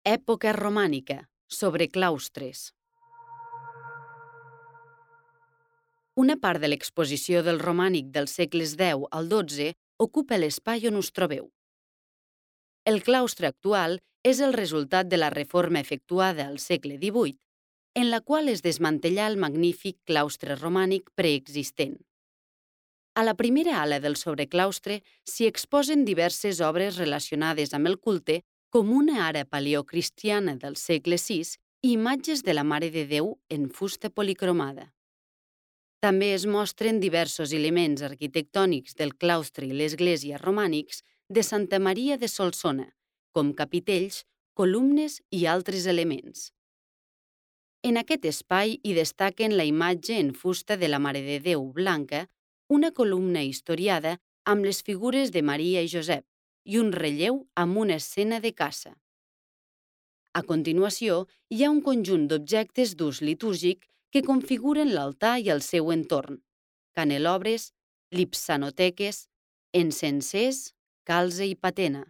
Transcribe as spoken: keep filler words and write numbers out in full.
Època romànica, sobre claustres. Una part de l'exposició del romànic dels segles deu al dotze ocupa l'espai on us trobeu. El claustre actual és el resultat de la reforma efectuada al segle divuit, en la qual es desmantellà el magnífic claustre romànic preexistent. A la primera ala del sobreclaustre s'hi exposen diverses obres relacionades amb el culte, com una ara paleocristiana del segle sis i imatges de la Mare de Déu en fusta policromada. També es mostren diversos elements arquitectònics del claustre i l'església romànics de Santa Maria de Solsona, com capitells, columnes i altres elements. En aquest espai hi destaquen la imatge en fusta de la Mare de Déu blanca, una columna historiada amb les figures de Maria i Josep i un relleu amb una escena de caça. A continuació, hi ha un conjunt d'objectes d'ús litúrgic que configuren l'altar i el seu entorn: canelobres, lipsanoteques, encensers, calze i patena.